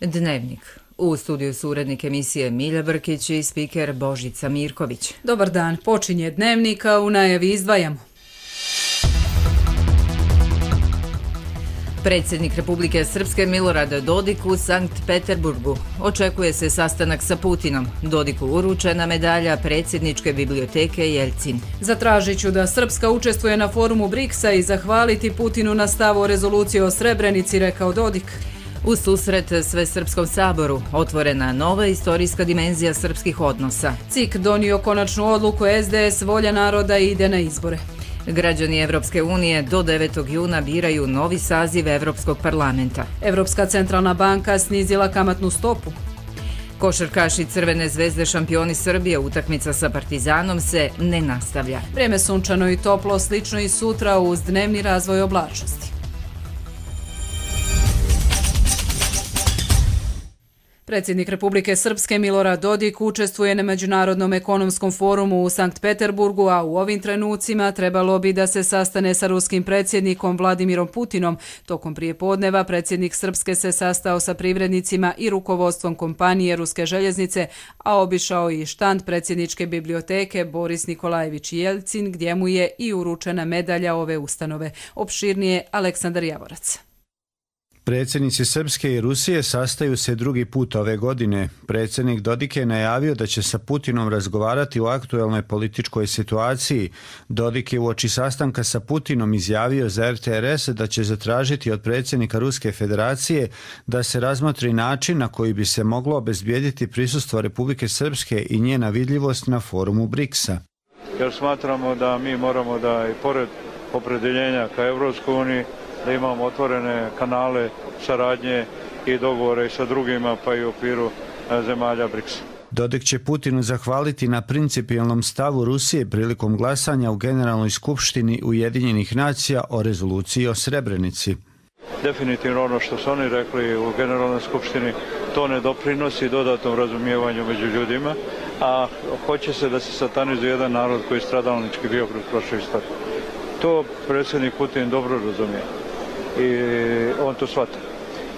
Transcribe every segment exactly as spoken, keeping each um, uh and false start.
Dnevnik. U studiju su urednik emisije Milja Brkić i spiker Božica Mirković. Dobar dan, počinje Dnevnik, a u najavi izdvajamo. Predsjednik Republike Srpske Milorad Dodik u Sankt Peterburgu. Očekuje se sastanak sa Putinom. Dodiku uručena medalja predsjedničke biblioteke Jeljcin. Zatražit ću da Srpska učestvuje na forumu briksa i zahvaliti Putinu na stavu o rezoluciji o Srebrenici, rekao Dodik. U susret Svesrpskom saboru otvorena nova istorijska dimenzija srpskih odnosa. C I K donio konačnu odluku, S D S volja naroda ide na izbore. Građani Evropske unije do devetog juna biraju novi saziv Evropskog parlamenta. Evropska centralna banka snizila kamatnu stopu. Košarkaši Crvene zvezde šampioni Srbije, utakmica sa Partizanom se ne nastavlja. Vreme sunčano i toplo, slično i sutra uz dnevni razvoj oblačnosti. Predsjednik Republike Srpske Milorad Dodik učestvuje na Međunarodnom ekonomskom forumu u Sankt Peterburgu, a u ovim trenucima trebalo bi da se sastane sa ruskim predsjednikom Vladimirom Putinom. Tokom prijepodneva predsjednik Srpske se sastao sa privrednicima i rukovodstvom kompanije Ruske željeznice, a obišao i štand predsjedničke biblioteke Boris Nikolajević Jeljcin, gdje mu je i uručena medalja ove ustanove. Opširnije Aleksandar Javorac. Predsjednici Srpske i Rusije sastaju se drugi put ove godine. Predsjednik Dodik je najavio da će sa Putinom razgovarati o aktuelnoj političkoj situaciji. Dodik je uoči sastanka sa Putinom izjavio za R T R S da će zatražiti od predsjednika Ruske federacije da se razmotri način na koji bi se moglo obezbijediti prisustvo Republike Srpske i njena vidljivost na forumu briksa. Jer smatramo da mi moramo da i pored opredeljenja ka Evropskoj uniji da imamo otvorene kanale saradnje i dogovore i sa drugima, pa i u okviru zemalja briksa. Dodik će Putinu zahvaliti na principijelnom stavu Rusije prilikom glasanja u Generalnoj skupštini Ujedinjenih nacija o rezoluciji o Srebrenici. Definitivno ono što su oni rekli u Generalnoj skupštini, to ne doprinosi dodatnom razumijevanju među ljudima, a hoće se da se satanizuje jedan narod koji je stradalnički bio kroz prošlu istoriju. To predsjednik Putin dobro razumije i on to shvata.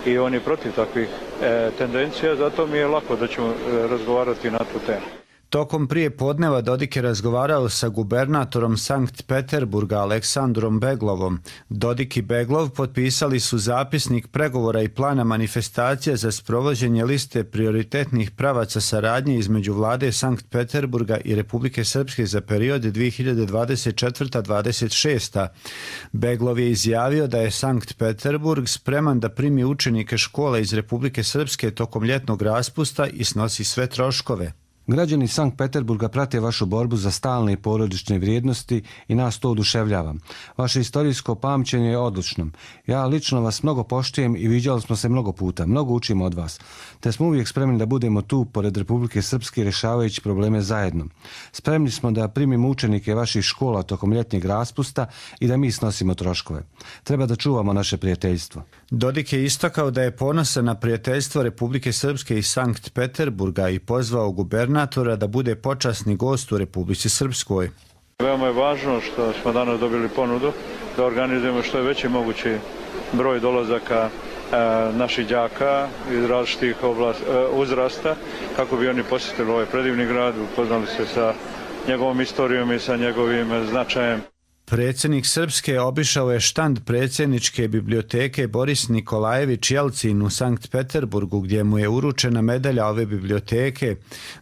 I on je protiv takvih e, tendencija, zato mi je lako da ćemo e, razgovarati na tu temu. Tokom prije podneva Dodik je razgovarao sa gubernatorom Sankt Peterburga Aleksandrom Beglovom. Dodik i Beglov potpisali su zapisnik pregovora i plana manifestacija za sprovođenje liste prioritetnih pravaca saradnje između vlade Sankt Peterburga i Republike Srpske za period dvije hiljade dvadeset četvrta do dvadeset šesta. Beglov je izjavio da je Sankt Peterburg spreman da primi učenike škola iz Republike Srpske tokom ljetnog raspusta i snosi sve troškove. Građani Sankt Peterburga prate vašu borbu za stalne i porodične vrijednosti i nas to oduševljava. Vaše istorijsko pamćenje je odlično. Ja lično vas mnogo poštujem i viđali smo se mnogo puta. Mnogo učimo od vas. Te smo uvijek spremni da budemo tu pored Republike Srpske rješavajući probleme zajedno. Spremni smo da primimo učenike vaših škola tokom ljetnjeg raspusta i da mi snosimo troškove. Treba da čuvamo naše prijateljstvo. Dodik je istakao da je ponosan na prijateljstvo Republike Srpske i Sankt Peterburga i pozvao gubernatora da bude počasni gost u Republici Srpskoj. Veoma je važno što smo danas dobili ponudu da organizujemo što je veći mogući broj dolazaka e, naših đaka iz različitih oblast, e, uzrasta kako bi oni posjetili ovaj predivni grad, upoznali se sa njegovom istorijom i sa njegovim značajem. Predsjednik Srpske obišao je štand predsjedničke biblioteke Boris Nikolajević Jeljcin u Sankt Peterburgu, gdje mu je uručena medalja ove biblioteke.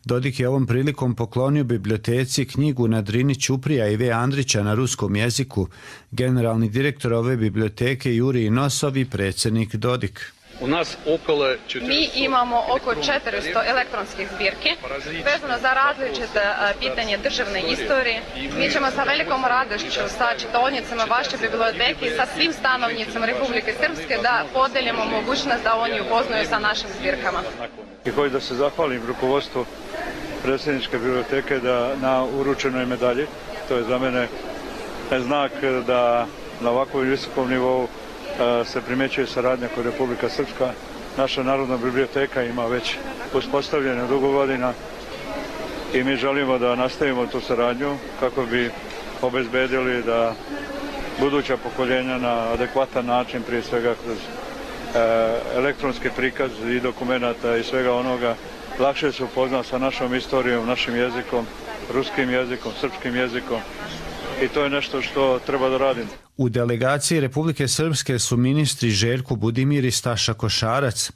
Dodik je ovom prilikom poklonio biblioteci knjigu na Drini Ćuprija i V. Andrića na ruskom jeziku. Generalni direktor ove biblioteke Jurij Nosov i predsjednik Dodik. Mi imamo oko četiristo elektronskih zbirki vezano za različite pitanje državne istorije. Mi ćemo sa velikom radošću sa čitaonicama vaše biblioteke i sa svim stanovnicama Republike Srpske da podelimo mogućnost da oni upoznaju sa našim zbirkama. I hoću da se zahvalim rukovodstvu predsjedničke biblioteke da na uručenoj medalji. To je za mene znak da na ovakvom visokom nivou se primjećuje saradnja kod Republika Srpska. Naša Narodna biblioteka ima već uspostavljene dugo godina i mi želimo da nastavimo tu saradnju kako bi obezbedili da buduća pokoljenja na adekvatan način, prije svega kroz elektronski prikaz i dokumenata i svega onoga lakše se upozna sa našom istorijom, našim jezikom, ruskim jezikom, srpskim jezikom i to je nešto što treba da radimo. U delegaciji Republike Srpske su ministri Željko Budimir i Staša Košarac.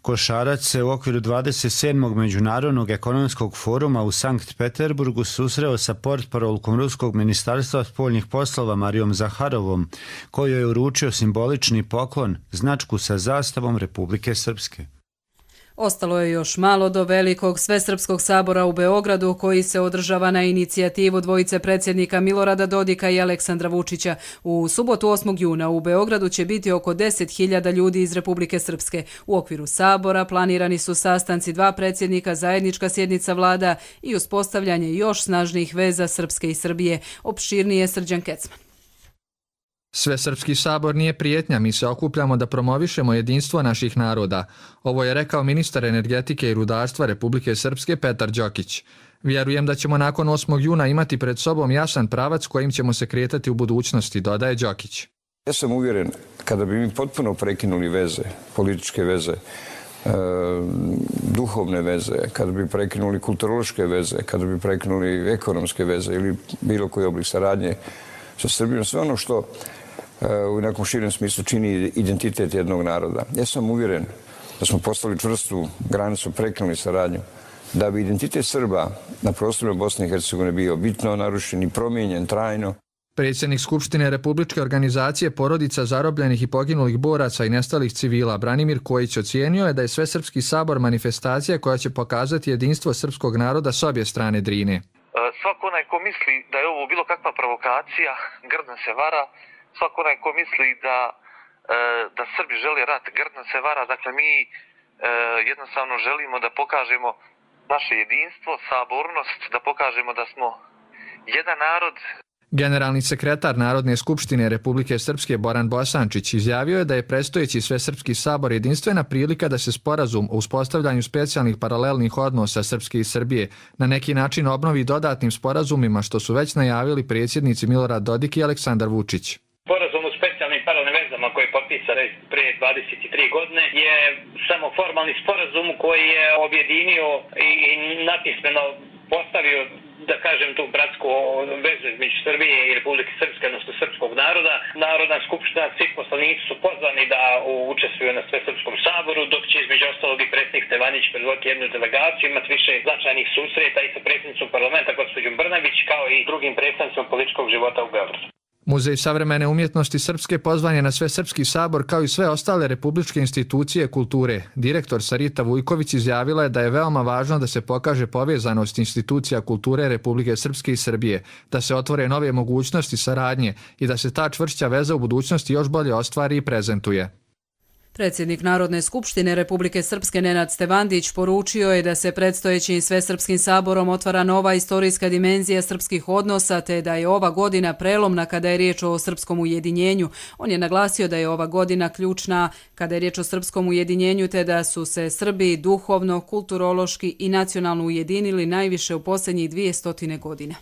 Košarac se u okviru dvadeset sedmog Međunarodnog ekonomskog foruma u Sankt Peterburgu susreo sa portparolkom Ruskog ministarstva spoljnih poslova Marijom Zaharovom, kojoj je uručio simbolični poklon, značku sa zastavom Republike Srpske. Ostalo je još malo do velikog Svesrpskog sabora u Beogradu koji se održava na inicijativu dvojice predsjednika Milorada Dodika i Aleksandra Vučića. U subotu osmog juna u Beogradu će biti oko deset hiljada ljudi iz Republike Srpske. U okviru sabora planirani su sastanci dva predsjednika, zajednička sjednica vlada i uspostavljanje još snažnijih veza Srpske i Srbije. Opširnije Srđan Kecman. Svesrpski sabor nije prijetnja, mi se okupljamo da promovišemo jedinstvo naših naroda. Ovo je rekao ministar energetike i rudarstva Republike Srpske Petar Đokić. Vjerujem da ćemo nakon osmog juna imati pred sobom jasan pravac kojim ćemo se kretati u budućnosti, dodaje Đokić. Ja sam uvjeren, kada bi mi potpuno prekinuli veze, političke veze, e, duhovne veze, kada bi prekinuli kulturološke veze, kada bi prekinuli ekonomske veze ili bilo koji oblik saradnje sa Srbijom, sve ono što u nekom širem smislu čini identitet jednog naroda. Ja sam uvjeren da smo postavili čvrstu granicu, prekinuli saradnju, da bi identitet Srba na prostorima Bosne i Hercegovine bio bitno narušen i promijenjen trajno. Predsjednik Skupštine Republičke organizacije porodica zarobljenih i poginulih boraca i nestalih civila Branimir Kojić ocijenio je da je Svesrpski sabor manifestacija koja će pokazati jedinstvo srpskog naroda s obje strane Drine. Svako onaj ko misli da je ovo bilo kakva provokacija, grdno se vara. Svako onaj ko misli da, da Srbi žele rat, grdno se vara. Dakle, mi jednostavno želimo da pokažemo naše jedinstvo, sabornost, da pokažemo da smo jedan narod. Generalni sekretar Narodne skupštine Republike Srpske Boran Bosančić izjavio je da je predstojeći Svesrpski sabor jedinstvena prilika da se sporazum o uspostavljanju specijalnih paralelnih odnosa Srpske i Srbije na neki način obnovi dodatnim sporazumima što su već najavili predsjednici Milorad Dodik i Aleksandar Vučić. Sporazum o specijalnim paralelnim vezama koji je potpisan prije dvadeset tri godine je samo formalni sporazum koji je objedinio i napismeno postavio, da kažem, tu bratsku vezu između Srbije i Republike Srpske, odnosno srpskog naroda. Narodna skupština, svi poslanici su pozvani da učestvuju na Svesrpskom saboru, dok će između ostalog i predsjednik Stevanić predvoditi jednu delegaciju, imati više značajnih susreta i sa predsjednicom parlamenta gospođom Brnabić, kao i drugim predstavnicima političkog života u Beogradu. Muzej savremene umjetnosti Srpske pozvan je na Svesrpski sabor kao i sve ostale republičke institucije kulture. Direktor Sarita Vujković izjavila je da je veoma važno da se pokaže povezanost institucija kulture Republike Srpske i Srbije, da se otvore nove mogućnosti saradnje i da se ta čvršća veza u budućnosti još bolje ostvari i prezentuje. Predsjednik Narodne skupštine Republike Srpske Nenad Stevandić poručio je da se predstojećim Svesrpskim saborom otvara nova istorijska dimenzija srpskih odnosa te da je ova godina prelomna kada je riječ o srpskom ujedinjenju. On je naglasio da je ova godina ključna kada je riječ o srpskom ujedinjenju te da su se Srbi duhovno, kulturološki i nacionalno ujedinili najviše u posljednjih dvije stotine godina.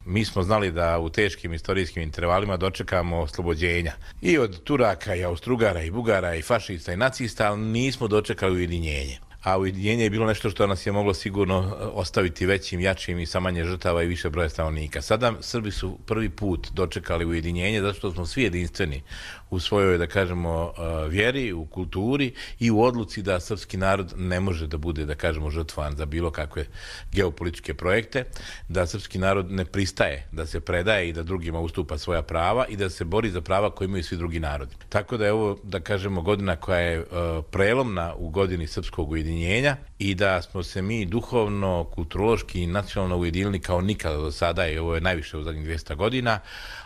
Mi smo znali da u teškim istorijskim intervalima dočekamo oslobođenja i od Turaka i Austrugara i Bugara i fašista i nacista, ali nismo dočekali ujedinjenje. A ujedinjenje je bilo nešto što nas je moglo sigurno ostaviti većim, jačim i sa manje žrtava i više broja stanovnika. Sada Srbi su prvi put dočekali ujedinjenje zato što smo svi jedinstveni u svojoj, da kažemo, vjeri, u kulturi i u odluci da srpski narod ne može da bude, da kažemo, žrtvovan za bilo kakve geopolitičke projekte, da srpski narod ne pristaje da se predaje i da drugima ustupa svoja prava i da se bori za prava koje imaju svi drugi narodi. Tako da je ovo, da kažemo, godina koja je prelomna u godini srpskog ujedinjenja i da smo se mi duhovno, kulturološki i nacionalno ujedinili kao nikada do sada i ovo je najviše u zadnjih dvjesto godina.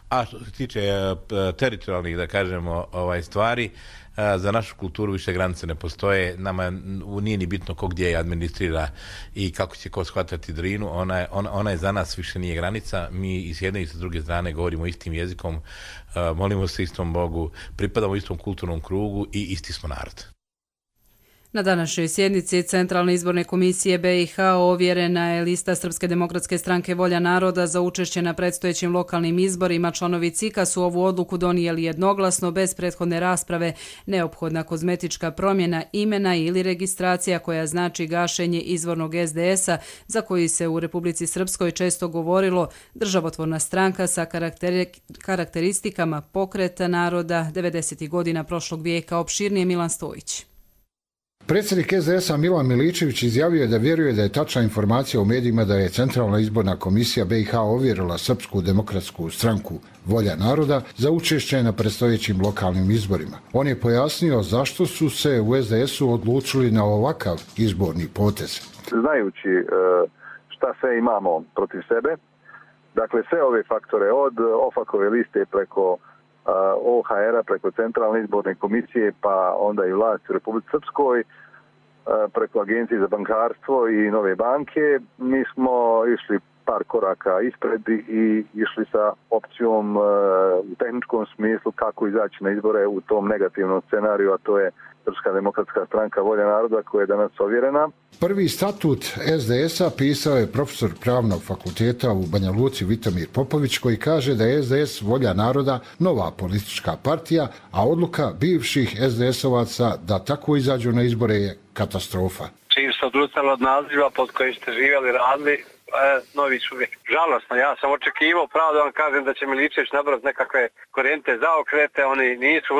A što se tiče teritorijalnih, da kažemo, ovaj stvari, za našu kulturu više granice ne postoje. Nama nije ni bitno ko gdje je administrira i kako će ko shvatati Drinu. Ona je, ona, ona je za nas više nije granica. Mi i s jedne i s druge strane govorimo istim jezikom, molimo se istom Bogu, pripadamo istom kulturnom krugu i isti smo narod. Na današnjoj sjednici Centralne izborne komisije B i H ovjerena je lista Srpske demokratske stranke Volja naroda za učešće na predstojećim lokalnim izborima. Članovi C I K-a su ovu odluku donijeli jednoglasno, bez prethodne rasprave. Neophodna kozmetička promjena imena ili registracija koja znači gašenje izvornog S D S-a, za koji se u Republici Srpskoj često govorilo državotvorna stranka sa karakteristikama pokreta naroda devedesetih godina prošlog vijeka. Opširnije Milan Stojić. Predsjednik S D S-a Milan Miličević izjavio je da vjeruje da je tačna informacija u medijima da je Centralna izborna komisija B i H ovjerila Srpsku demokratsku stranku Volja naroda za učešće na predstojećim lokalnim izborima. On je pojasnio zašto su se u S D S-u odlučili na ovakav izborni potez. Znajući šta sve imamo protiv sebe, dakle sve ove faktore od OFAK-ove liste preko O H R-a, preko Centralne izborne komisije, pa onda i vlasti u Republici Srpskoj, preko Agencije za bankarstvo i Nove banke, mi smo išli par koraka ispred i išli sa opcijom u tehničkom smislu kako izaći na izbore u tom negativnom scenariju, a to je Srpska demokratska stranka Volja naroda koja je danas ovjerena. Prvi statut S D S-a pisao je profesor Pravnog fakulteta u Banja Luci Vitomir Popović, koji kaže da je S D S Volja naroda nova politička partija, a odluka bivših S D S-ovaca da tako izađu na izbore je katastrofa. Čim se odustali od naziva pod kojim ste živjeli, radili, E, novi čovjek. Žalosno, ja sam očekivao, pravo da vam kažem da će Miličević nabrati nekakve korijente zaokrete, oni nisu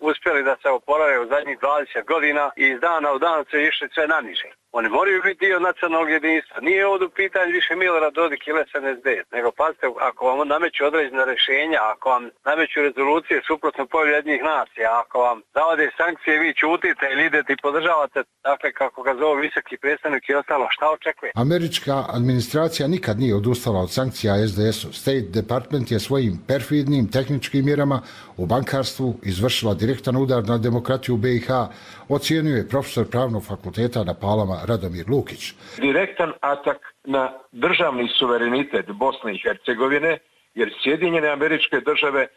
uspjeli da se oporave u zadnjih dvadeset godina i iz dana u dan su išli sve naniže. Oni moraju biti dio nacionalnog jedinstva. Nije ovdje u pitanju više Milorad Dodik ili S N S D, nego pazite, ako vam nameću određena rješenja, ako vam nameću rezolucije suprotno volji jednih nacija, ako vam zavode sankcije, vi ćutite ili idete i podržavate, dakle kako ga zove visoki predstavnik i ostalo, šta očekuje? Američka administracija nikad nije odustala od sankcija S D S-u. State Department je svojim perfidnim tehničkim mjerama u bankarstvu izvršila direktan udar na demokratiju B i H, ocijenio je profesor Pravnog fakulteta na Palama Radomir Lukić. Direktan atak na državni suverenitet Bosne i Hercegovine, jer Sjedinjene Američke Države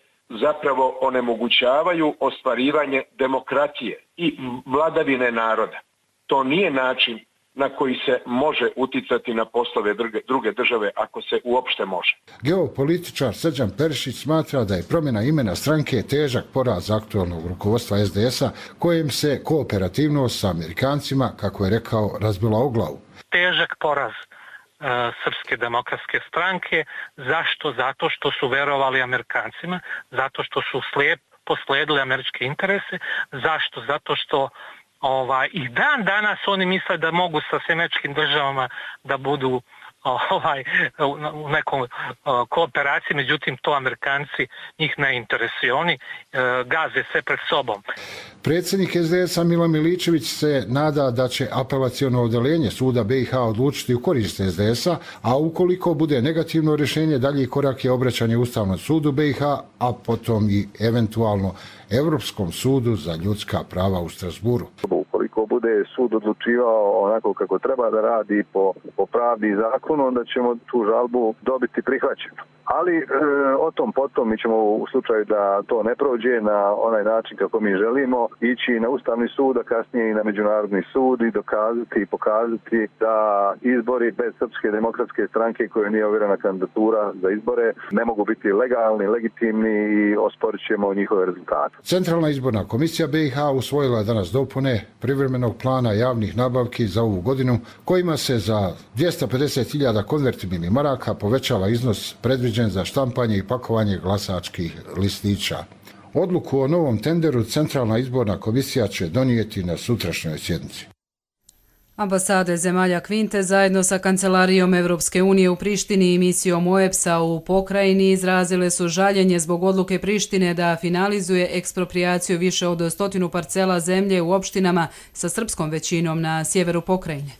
zapravo onemogućavaju ostvarivanje demokratije i vladavine naroda. To nije način na koji se može uticati na poslove druge države, ako se uopšte može. Geopolitičar Srđan Perišić smatra da je promjena imena stranke težak poraz aktualnog rukovodstva S D S-a, kojem se kooperativnost sa Amerikancima, kako je rekao, razbila o glavu. Težak poraz uh, Srpske demokratske stranke. Zašto? Zato što su verovali Amerikancima, zato što su slijep posledili američke interese. Zašto? Zato što Ovaj, i dan danas oni misle da mogu sa Američkim državama da budu ovaj, u nekom kooperaciji, međutim to Amerikanci njih ne interesuje, oni gaze sve pred sobom. Predsjednik S D S-a Milan Miličević se nada da će apelaciono odeljenje suda B i H odlučiti u korist S D S-a, a ukoliko bude negativno rješenje, dalji korak je obraćanje Ustavnom sudu B i H, a potom i eventualno Europskom sudu za ljudska prava u Strasburu. Ukoliko bude sud odlučivao onako kako treba da radi po, po pravdi i zakonu, onda ćemo tu žalbu dobiti prihvaćenu. Ali e, o tom potom mi ćemo u slučaju da to ne prođe na onaj način kako mi želimo ići na Ustavni sud, a kasnije i na Međunarodni sud i dokazati i pokazati da izbori bez Srpske demokratske stranke koje nije ovjerena kandidatura za izbore ne mogu biti legalni, legitimni i osporit ćemo njihove rezultate. Centralna izborna komisija B i H usvojila je danas dopune privremenog plana javnih nabavki za ovu godinu, kojima se za dvjesto pedeset hiljada konvertibilnih maraka povećava iznos predviđen za štampanje i pakovanje glasačkih listića. Odluku o novom tenderu Centralna izborna komisija će donijeti na sutrašnjoj sjednici. Ambasade zemalja Kvinte zajedno sa Kancelarijom Evropske unije u Prištini i misijom O E B S-a u pokrajini izrazile su žaljenje zbog odluke Prištine da finalizuje ekspropriaciju više od stotinu parcela zemlje u opštinama sa srpskom većinom na sjeveru pokrajine.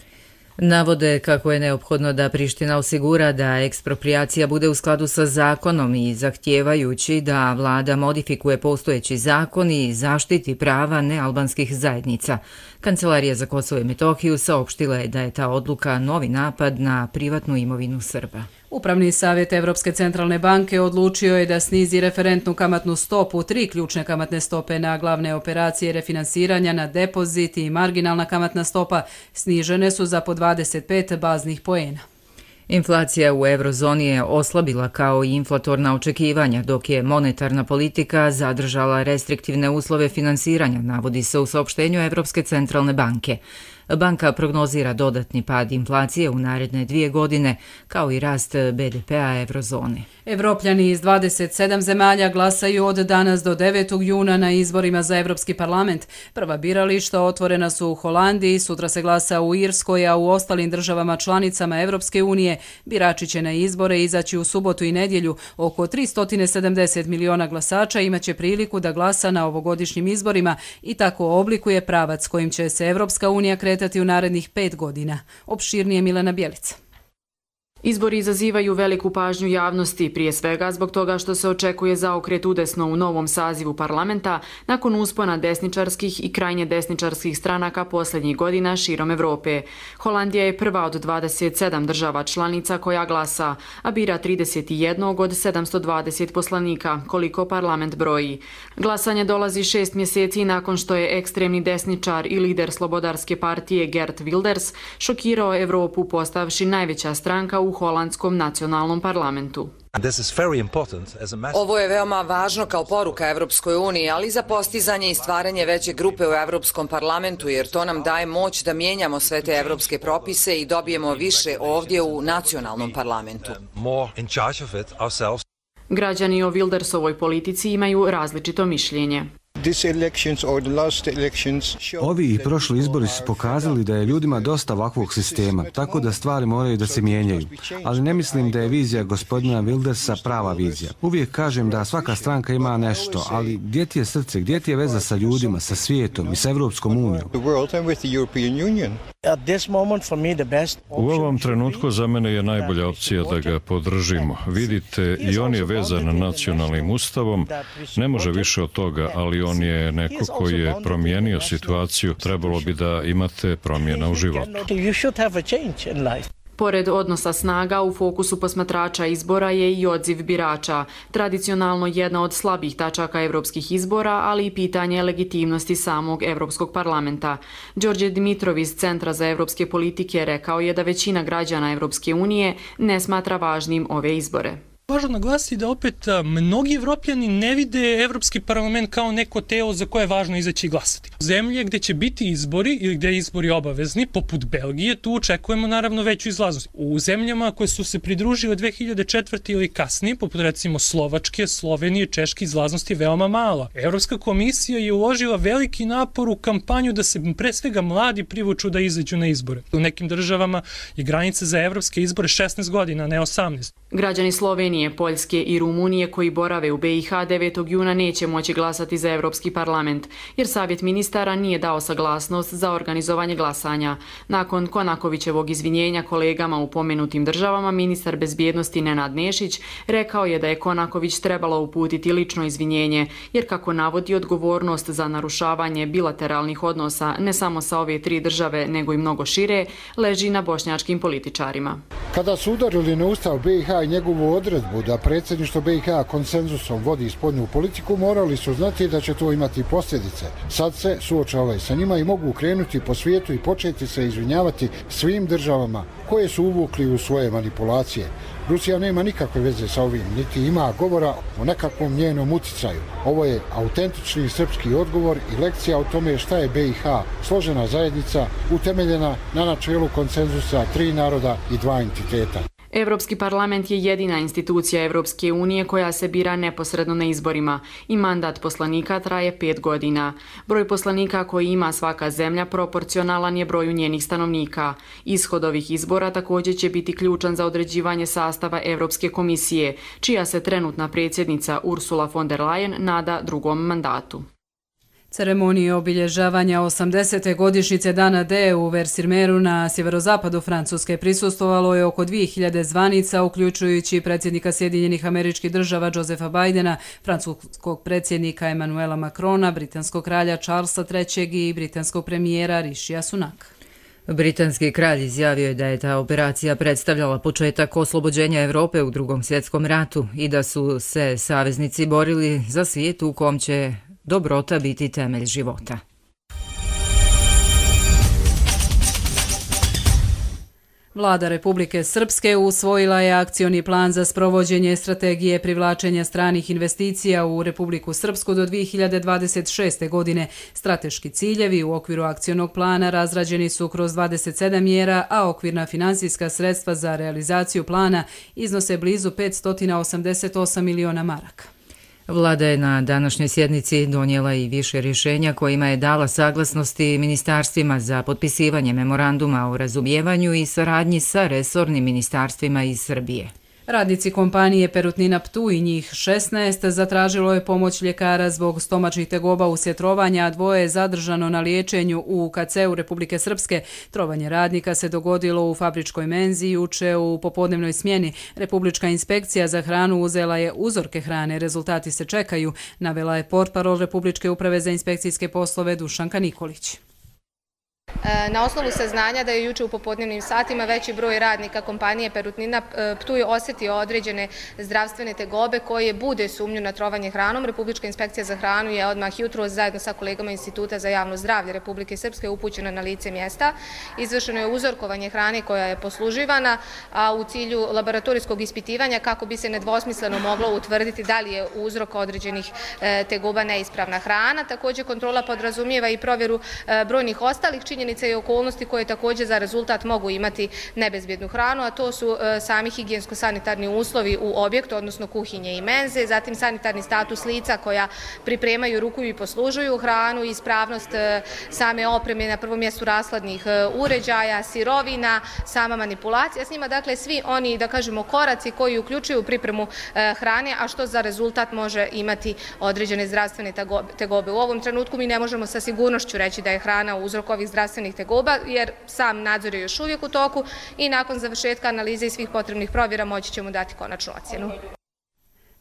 Navode kako je neophodno da Priština osigura da ekspropriacija bude u skladu sa zakonom i zahtijevajući da vlada modifikuje postojeći zakon i zaštiti prava nealbanskih zajednica. Kancelarija za Kosovo i Metohiju saopštila je da je ta odluka novi napad na privatnu imovinu Srba. Upravni savjet Evropske centralne banke odlučio je da snizi referentnu kamatnu stopu, tri ključne kamatne stope na glavne operacije refinansiranja na depozit i marginalna kamatna stopa snižene su za po dvadeset pet baznih poena. Inflacija u eurozoni je oslabila kao i inflatorna očekivanja, dok je monetarna politika zadržala restriktivne uslove finansiranja, navodi se u saopštenju Evropske centralne banke. Banka prognozira dodatni pad inflacije u naredne dvije godine, kao i rast be de pea eurozone. Evropljani iz dvadeset sedam zemalja glasaju od danas do devetog juna na izborima za Evropski parlament. Prva birališta otvorena su u Holandiji, sutra se glasa u Irskoj, a u ostalim državama članicama Evropske unije birači će na izbore izaći u subotu i nedjelju. Oko tristo sedamdeset miliona glasača imaće priliku da glasa na ovogodišnjim izborima i tako oblikuje pravac kojim će se Evropska unija kretati u narednih pet godina. Opširnije Milena Bjelica. Izbori izazivaju veliku pažnju javnosti, prije svega zbog toga što se očekuje zaokret udesno u novom sazivu parlamenta nakon uspona desničarskih i krajnje desničarskih stranaka posljednjih godina širom Evrope. Holandija je prva od dvadeset sedam država članica koja glasa, a bira trideset jedan od sedamsto dvadeset poslanika, koliko parlament broji. Glasanje dolazi šest mjeseci nakon što je ekstremni desničar i lider Slobodarske partije Geert Wilders šokirao Evropu postavši najveća stranka u holandskom nacionalnom parlamentu. Ovo je veoma važno kao poruka Evropskoj uniji, ali i za postizanje i stvaranje veće grupe u Evropskom parlamentu, jer to nam daje moć da mijenjamo sve te evropske propise i dobijemo više ovdje u nacionalnom parlamentu. Građani o Wildersovoj politici imaju različito mišljenje. Ovi i prošli izbori su pokazali da je ljudima dosta ovakvog sistema, tako da stvari moraju da se mijenjaju. Ali ne mislim da je vizija gospodina Wildersa prava vizija. Uvijek kažem da svaka stranka ima nešto, ali gdje ti je srce, gdje ti je veza sa ljudima, sa svijetom i sa Evropskom unijom? U ovom trenutku za mene je najbolja opcija da ga podržimo. Vidite, i on je vezan nacionalnim ustavom, ne može više od toga, ali on je neko koji je promijenio situaciju, trebalo bi da imate promjena u životu. Pored odnosa snaga, u fokusu posmatrača izbora je i odziv birača, tradicionalno jedna od slabih tačaka evropskih izbora, ali i pitanje legitimnosti samog Evropskog parlamenta. Đorđe Dimitrov iz Centra za evropske politike rekao je da većina građana Evropske unije ne smatra važnim ove izbore. Važno naglasiti da opet mnogi Evropljani ne vide Evropski parlament kao neko telo za koje je važno izaći i glasati. Zemlje gdje će biti izbori ili gdje je izbori obavezni, poput Belgije, tu očekujemo naravno veću izlaznost. U zemljama koje su se pridružile dve hiljade četvrte ili kasnije, poput recimo Slovačke, Slovenije, Češke, izlaznost je veoma mala. Evropska komisija je uložila veliki napor u kampanju da se pre svega mladi privuču da izađu na izbore. U nekim državama je granica za evropske izbore šesnaest godina, ne osamnaest. Građani Slovenije, Poljske i Rumunije koji borave u be i ha devetog juna neće moći glasati za Evropski parlament, jer Savjet ministara nije dao saglasnost za organizovanje glasanja. Nakon Konakovićevog izvinjenja kolegama u pomenutim državama, ministar bezbjednosti Nenad Nešić rekao je da je Konaković trebalo uputiti lično izvinjenje, jer kako navodi, odgovornost za narušavanje bilateralnih odnosa ne samo sa ove tri države, nego i mnogo šire, leži na bošnjačkim političarima. Kada su udarili na ustav be i ha i njegovu odredbu da predsjedništvo be i ha konsenzusom vodi spoljnu politiku, morali su znati da će to imati posljedice. Sad se suočavaju sa njima i mogu krenuti po svijetu i početi se izvinjavati svim državama koje su uvukli u svoje manipulacije. Rusija nema nikakve veze sa ovim, niti ima govora o nekakvom njenom uticaju. Ovo je autentični srpski odgovor i lekcija o tome šta je be i ha, složena zajednica utemeljena na načelu konsenzusa tri naroda i dva entiteta. Evropski parlament je jedina institucija Evropske unije koja se bira neposredno na izborima i mandat poslanika traje pet godina. Broj poslanika koji ima svaka zemlja proporcionalan je broju njenih stanovnika. Ishod ovih izbora također će biti ključan za određivanje sastava Evropske komisije, čija se trenutna predsjednica Ursula von der Leyen nada drugom mandatu. Ceremoniji obilježavanja osamdesete godišnjice Dana D u Versaillesu na sjeverozapadu Francuske prisustvovalo je oko dvije hiljade zvanica, uključujući predsjednika Sjedinjenih Američkih Država Josepha Bidena, francuskog predsjednika Emmanuela Macrona, britanskog kralja Charlesa trećeg i britanskog premijera Rishija Sunaka. Britanski kralj izjavio je da je ta operacija predstavljala početak oslobođenja Evrope u Drugom svjetskom ratu i da su se saveznici borili za svijet u kom će dobrota biti temelj života. Vlada Republike Srpske usvojila je akcioni plan za sprovođenje strategije privlačenja stranih investicija u Republiku Srpsku do dvije hiljade dvadeset šeste. godine. Strateški ciljevi u okviru akcionog plana razrađeni su kroz dvadeset sedam mjera, a okvirna finansijska sredstva za realizaciju plana iznose blizu petsto osamdeset osam miliona maraka. Vlada je na današnjoj sjednici donijela i više rješenja kojima je dala saglasnosti ministarstvima za potpisivanje memoranduma o razumijevanju i saradnji sa resornim ministarstvima iz Srbije. Radnici kompanije Perutnina Ptuj, njih šesnaest, zatražilo je pomoć ljekara zbog stomačnih tegoba uslijed trovanja, a dvoje je zadržano na liječenju u K C-u Republike Srpske. Trovanje radnika se dogodilo u fabričkoj menzi juče u popodnevnoj smjeni. Republička inspekcija za hranu uzela je uzorke hrane, rezultati se čekaju, navela je portparol Republičke uprave za inspekcijske poslove Dušanka Nikolić. Na osnovu saznanja da je juče u popodnevnim satima veći broj radnika kompanije Perutnina Ptuj osjetio određene zdravstvene tegobe koje bude sumnju na trovanje hranom. Republička inspekcija za hranu je odmah jutros zajedno sa kolegama Instituta za javno zdravlje Republike Srpske upućena na lice mjesta. Izvršeno je uzorkovanje hrane koja je posluživana, a u cilju laboratorijskog ispitivanja kako bi se nedvosmisleno moglo utvrditi da li je uzrok određenih tegoba neispravna hrana. Također kontrola podrazumijeva i provjeru brojnih ostalih činjenica i okolnosti koje također za rezultat mogu imati nebezbjednu hranu, a to su sami higijensko-sanitarni uslovi u objektu, odnosno kuhinje i menze, zatim sanitarni status lica koja pripremaju, rukuju i poslužuju hranu, ispravnost same opreme, na prvom mjestu rashladnih uređaja, sirovina, sama manipulacija s njima, dakle svi oni, da kažemo, koraci koji uključuju pripremu hrane, a što za rezultat može imati određene zdravstvene tegobe. U ovom trenutku mi ne možemo sa sigurnošću reći da je hrana uzrok ovih zdravstvenih tegoba, jer sam nadzor je još uvijek u toku i nakon završetka analize i svih potrebnih provjera moći ćemo dati konačnu ocjenu.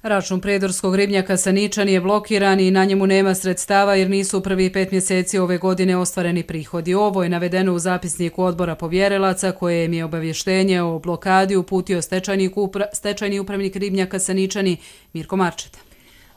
Račun predorskog ribnjaka Saničan je blokiran i na njemu nema sredstava jer nisu u prvih pet mjeseci ove godine ostvareni prihodi. Ovo je navedeno u zapisniku odbora povjerilaca koje im je obavještenje o blokadi uputio stečajni upravnik ribnjaka Saničani Mirko Marčeta.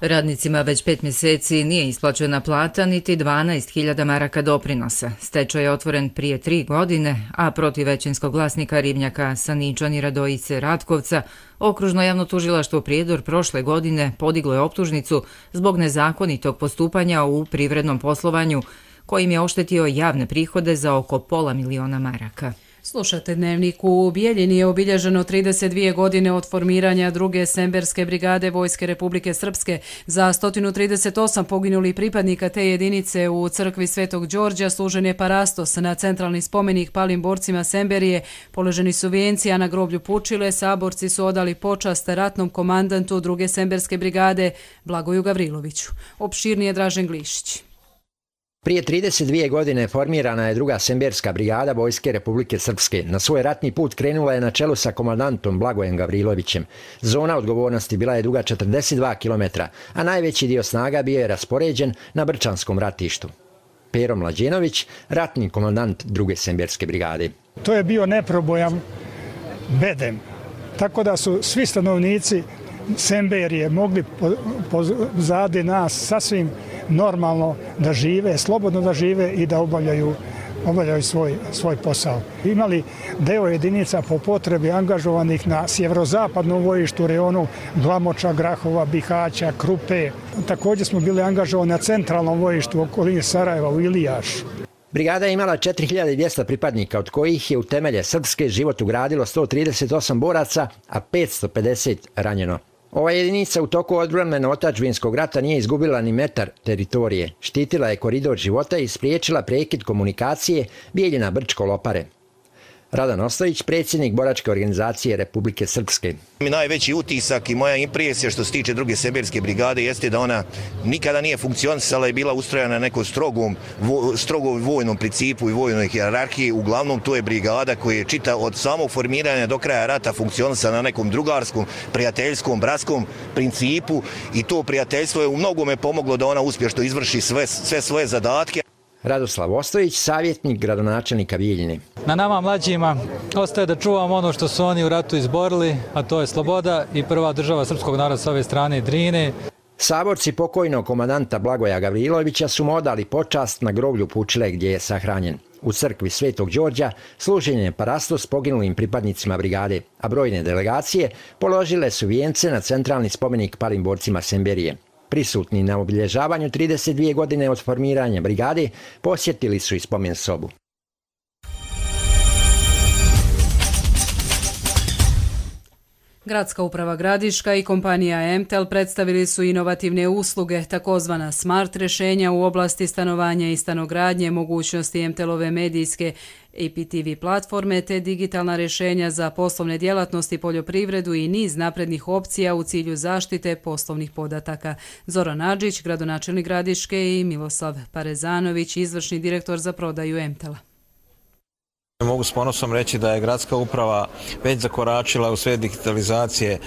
Radnicima već pet mjeseci nije isplaćena plata niti dvanaest hiljada maraka doprinosa. Stečaj je otvoren prije tri godine, a protiv većinskog vlasnika ribnjaka Saničani Radojice Ratkovca Okružno javno tužilaštvo Prijedor prošle godine podiglo je optužnicu zbog nezakonitog postupanja u privrednom poslovanju kojim je oštetio javne prihode za oko pola miliona maraka. Slušate Dnevnik. U Bijeljini je obilježeno trideset dvije godine od formiranja druge Semberske brigade Vojske Republike Srpske. Za sto trideset osam poginulih pripadnika te jedinice u crkvi Svetog Đorđa služen je parastos na centralni spomenik palim borcima Semberije. Položeni su vijenci, a na groblju Pučile saborci su odali počast ratnom komandantu druge Semberske brigade Blagoju Gavriloviću. Opširnije Dražen Glišić. Prije trideset dvije godine formirana je druga Semberska brigada Vojske Republike Srpske. Na svoj ratni put krenula je na čelu sa komandantom Blagojem Gavrilovićem. Zona odgovornosti bila je duga četrdeset dva kilometra, a najveći dio snaga bio je raspoređen na Brčanskom ratištu. Pero Mlađenović, ratni komandant druge Semberske brigade. To je bio neprobojan bedem, tako da su svi stanovnici Semberije mogli pozadi nas sasvim normalno da žive, slobodno da žive i da obavljaju, obavljaju svoj, svoj posao. Imali deo jedinica po potrebi angažovanih na sjeverozapadnom bojištu, rejonu Glamoča, Grahova, Bihaća, Krupe. Također smo bili angažovani na centralnom bojištu u okolini Sarajeva u Ilijašu. Brigada je imala četiri hiljade dvjesto pripadnika, od kojih je u temelje srpske život ugradilo sto trideset osam boraca, a petsto pedeset ranjeno. Ova jedinica u toku odbrane otadžbinskog rata nije izgubila ni metar teritorije. Štitila je koridor života i spriječila prekid komunikacije Bijeljina-Brčko-Lopare. Radan Ostojić, predsjednik boračke organizacije Republike Srpske. Najveći utisak i moja impresija što se tiče druge Semberske brigade jeste da ona nikada nije funkcionisala i bila ustrojena na nekom strogom, strogom vojnom principu i vojnoj hijerarhiji. Uglavnom to je brigada koja je čita od samog formiranja do kraja rata funkcionisala na nekom drugarskom, prijateljskom, bratskom principu i to prijateljstvo je u mnogome pomoglo da ona uspješno izvrši sve, sve svoje zadatke. Radoslav Ostojić, savjetnik gradonačelnika Bijeljine. Na nama mlađima ostaje da čuvamo ono što su oni u ratu izborili, a to je sloboda i prva država srpskog naroda s ove strane Drine. Saborci pokojnog komandanta Blagoja Gavrilovića su mu odali počast na groblju Pučile gdje je sahranjen. U crkvi Svetog Đorđa služen je parastos poginulim pripadnicima brigade, a brojne delegacije položile su vijence na centralni spomenik palim borcima Semberije. Prisutni na obilježavanju trideset dvije godine od formiranja brigade posjetili su i spomen sobu. Gradska uprava Gradiška i kompanija Emtel predstavili su inovativne usluge, takozvana smart rješenja u oblasti stanovanja i stanogradnje, mogućnosti Emtelove medijske A P T V platforme te digitalna rješenja za poslovne djelatnosti, poljoprivredu i niz naprednih opcija u cilju zaštite poslovnih podataka. Zoran Adžić, gradonačelnik Gradiške, i Miloslav Parezanović, izvršni direktor za prodaju Emtela. Mogu s ponosom reći da je gradska uprava već zakoračila u svijet digitalizacije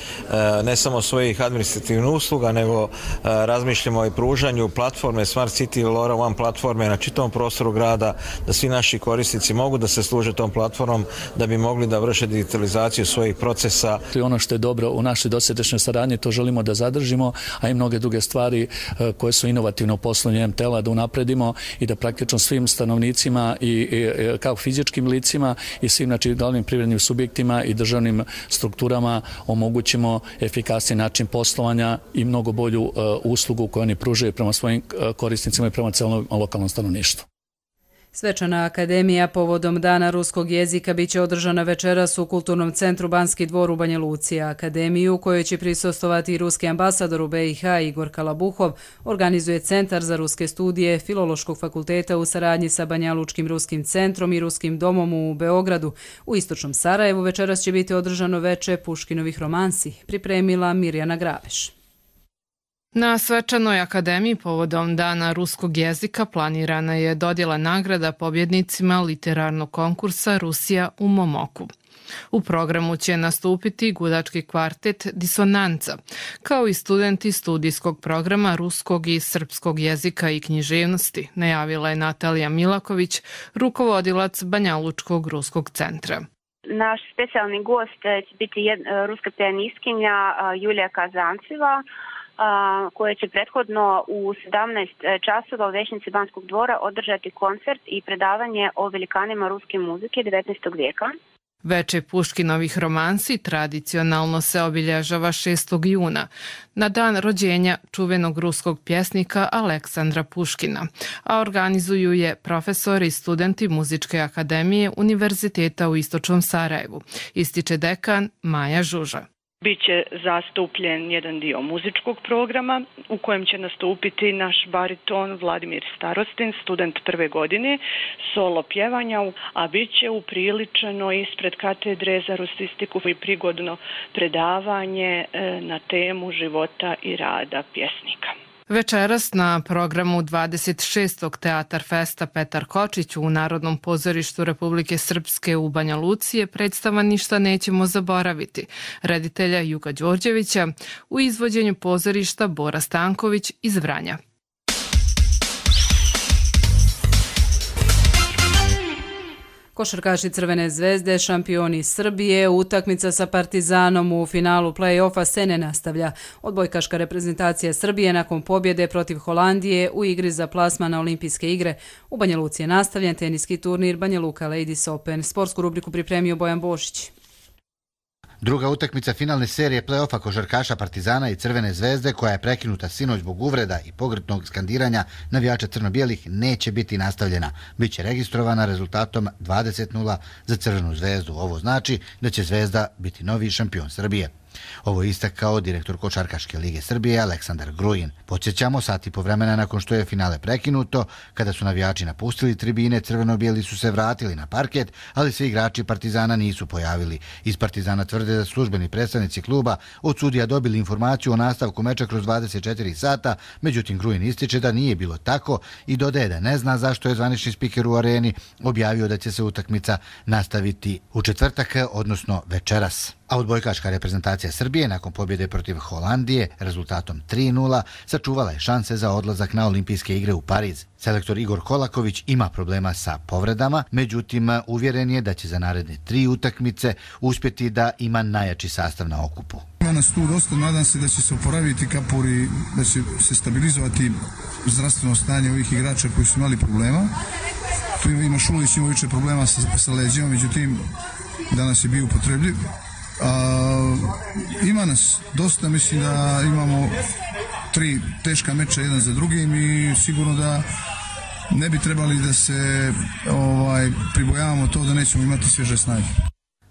ne samo svojih administrativnih usluga, nego razmišljamo i pružanju platforme Smart City LoRa One platforme na čitavom prostoru grada, da svi naši korisnici mogu da se služe tom platformom da bi mogli da vrše digitalizaciju svojih procesa. Ono što je dobro u našoj dosadašnjoj saradnji, to želimo da zadržimo, a i mnoge druge stvari koje su inovativne u poslovanju Emtela da unapredimo i da praktično svim stanovnicima i, i kao fizičkim licima i svim znači, glavnim privrednim subjektima i državnim strukturama omogućimo efikasniji način poslovanja i mnogo bolju uh, uslugu koju oni pružaju prema svojim uh, korisnicima i prema celom lokalnom stanovništvu. Svečana akademija povodom Dana ruskog jezika biće održana večeras u Kulturnom centru Banski dvor u Banja Luci. Akademiju, u kojoj će prisustvovati i ruski ambasador u B i H Igor Kalabuhov, organizuje Centar za ruske studije Filološkog fakulteta u saradnji sa Banjalučkim ruskim centrom i Ruskim domom u Beogradu. U istočnom Sarajevu večeras će biti održano veče Puškinovih romansi, pripremila Mirjana Graveš. Na svečanoj akademiji povodom Dana ruskog jezika planirana je dodjela nagrada pobjednicima literarnog konkursa Rusija u Momoku. U programu će nastupiti gudački kvartet Disonanca, kao i studenti studijskog programa ruskog i srpskog jezika i književnosti, najavila je Natalija Milaković, rukovodilac Banjalučkog ruskog centra. Naš specijalni gost će biti ruska pijanistkinja Julija Kazanceva, koje će prethodno u sedamnaest časova u Većnici Banskog dvora održati koncert i predavanje o velikanima ruske muzike devetnaestog vijeka. Veče Puškinovih romansi tradicionalno se obilježava šestog juna, na dan rođenja čuvenog ruskog pjesnika Aleksandra Puškina, a organizuju je profesori i studenti Muzičke akademije Univerziteta u Istočnom Sarajevu, ističe dekan Maja Žuža. Biće zastupljen jedan dio muzičkog programa u kojem će nastupiti naš bariton Vladimir Starostin, student prve godine, solo pjevanja, a bit će upriličeno ispred katedre za rusistiku i prigodno predavanje na temu života i rada pjesnika. Večeras na programu dvadeset šestog Teatar festa Petar Kočić u Narodnom pozorištu Republike Srpske u Banja Luci je predstava Ništa nećemo zaboraviti reditelja Juga Đorđevića u izvođenju pozorišta Bora Stanković iz Vranja. Košarkaši Crvene zvezde, šampioni Srbije, utakmica sa Partizanom u finalu play-offa se ne nastavlja. Odbojkaška reprezentacija Srbije nakon pobjede protiv Holandije u igri za plasman na olimpijske igre. U Banja Luci je nastavljen teniski turnir Banja Luka Ladies Open. Sportsku rubriku pripremio Bojan Bošić. Druga utakmica finalne serije play-offa košarkaša Partizana i Crvene zvezde, koja je prekinuta sinoć zbog uvreda i pogrdnog skandiranja navijača crno-bijelih, neće biti nastavljena. Biće registrovana rezultatom dvadeset nula za Crvenu zvezdu. Ovo znači da će Zvezda biti novi šampion Srbije. Ovo je istakao direktor Košarkaške lige Srbije Aleksandar Grujin. Podsjećamo, sat i po vremena nakon što je finale prekinuto, kada su navijači napustili tribine, crveno-bijeli su se vratili na parket, ali se igrači Partizana nisu pojavili. Iz Partizana tvrde da službeni predstavnici kluba od sudija dobili informaciju o nastavku meča kroz dvadeset četiri sata, međutim Grujin ističe da nije bilo tako i dodaje da ne zna zašto je zvanični spiker u areni objavio da će se utakmica nastaviti u četvrtak, odnosno večeras. A odbojkaška reprezentacija reprezentacija Srbije nakon pobjede protiv Holandije rezultatom tri nula sačuvala je šanse za odlazak na olimpijske igre u Pariz. Selektor Igor Kolaković ima problema sa povredama, međutim uvjeren je da će za naredne tri utakmice uspjeti da ima najjači sastav na okupu. Ima nas tu dosta, nadam se da će se oporaviti Kapur i da će se stabilizovati zdravstveno stanje ovih igrača koji su imali problema. Tu ima Šulić, ima više problema sa, sa leđima, međutim danas je bio upotrebljiv. A, ima nas dosta, mislim da imamo tri teška meča jedan za drugim i sigurno da ne bi trebali da se ovaj, pribojavamo to da nećemo imati svježe snage.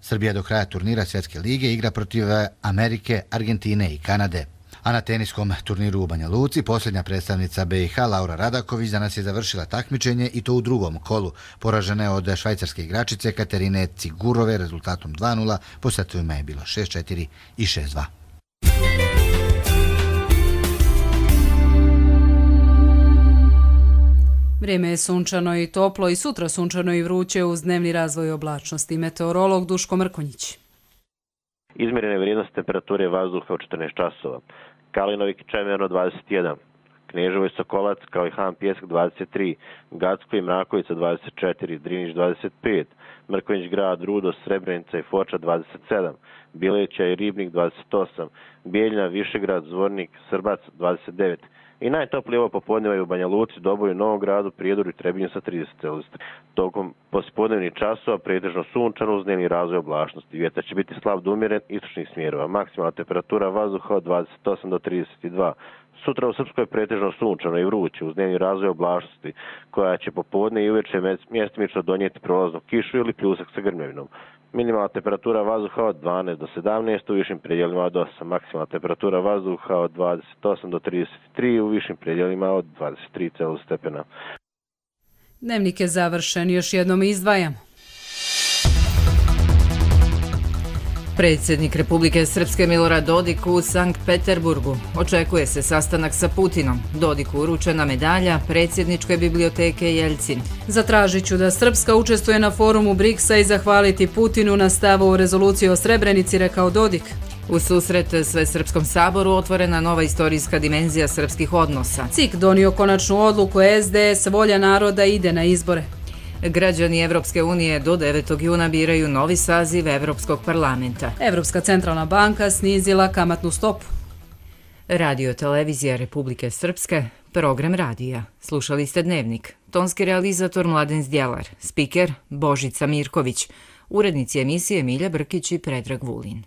Srbija do kraja turnira Svjetske lige igra protiv Amerike, Argentine i Kanade. A na teniskom turniru u Banja Luci posljednja predstavnica B i H Laura Radaković danas je završila takmičenje i to u drugom kolu. Poražena je od švajcarske igračice Katerine Cigurove rezultatom dva nula, po setovima je bilo šest četiri i šest dva. Vrijeme je sunčano i toplo i sutra sunčano i vruće uz dnevni razvoj oblačnosti. Meteorolog Duško Mrkonjić. Izmjerene vrijednosti temperature vazduha u četrnaest časova. Kalinovik i Čemerno dvadeset jedan, Kneževo i Sokolac kao i Han Pjesak dvadeset tri, Gacko i Mrakovica dvadeset četiri, Drinić dvadeset pet, Mrkonjić grad, Rudo, Srebrenica i Foča dvadeset sedam, Bileća i Ribnik dvadeset osam, Bijeljina, Višegrad, Zvornik, Srbac dvadeset devet. I najtoplije ovo popodneva je u Banja Luci, Doboju, Novom Gradu, Prijedoru i Trebinju sa trideset Celzijusov. Tokom poslijepodnevnih časova pretežno sunčano uz dnevni razvoj oblačnosti. Vjetar će biti slab do umjeren istočnih smjerova. Maksimalna temperatura vazduha od dvadeset osam do trideset dva. Sutra u Srpskoj je pretežno sunčano i vruće uz dnevni razvoj oblačnosti, koja će popodne i uveče mjestimično donijeti prolaznu kišu ili pljusak sa grmljavinom. Minimalna temperatura vazduha od dvanaest do sedamnaest, u višim predjelima od osam. Maksimalna temperatura vazduha od dvadeset osam do trideset tri, u višim predjelima od dvadeset tri Celzijusova stepena. Dnevnik je završen, još jednom izdvajamo. Predsjednik Republike Srpske Milorad Dodik u Sankt Peterburgu. Očekuje se sastanak sa Putinom. Dodiku uručena medalja Predsjedničke biblioteke Jeljcin. Zatražit ću da Srpska učestvuje na forumu briksa i zahvaliti Putinu na stavu u rezoluciji o Srebrenici, rekao Dodik. U susret Svesrpskom saboru otvorena nova istorijska dimenzija srpskih odnosa. C I K donio konačnu odluku, S D S volja naroda ide na izbore. Građani Evropske unije do devetog juna biraju novi saziv Evropskog parlamenta. Evropska centralna banka snizila kamatnu stopu. Radio televizija Republike Srpske, program radija. Slušali ste Dnevnik. Tonski realizator Mladen Zdjelar, spiker Božica Mirković, urednici emisije Milja Brkić i Predrag Vulin.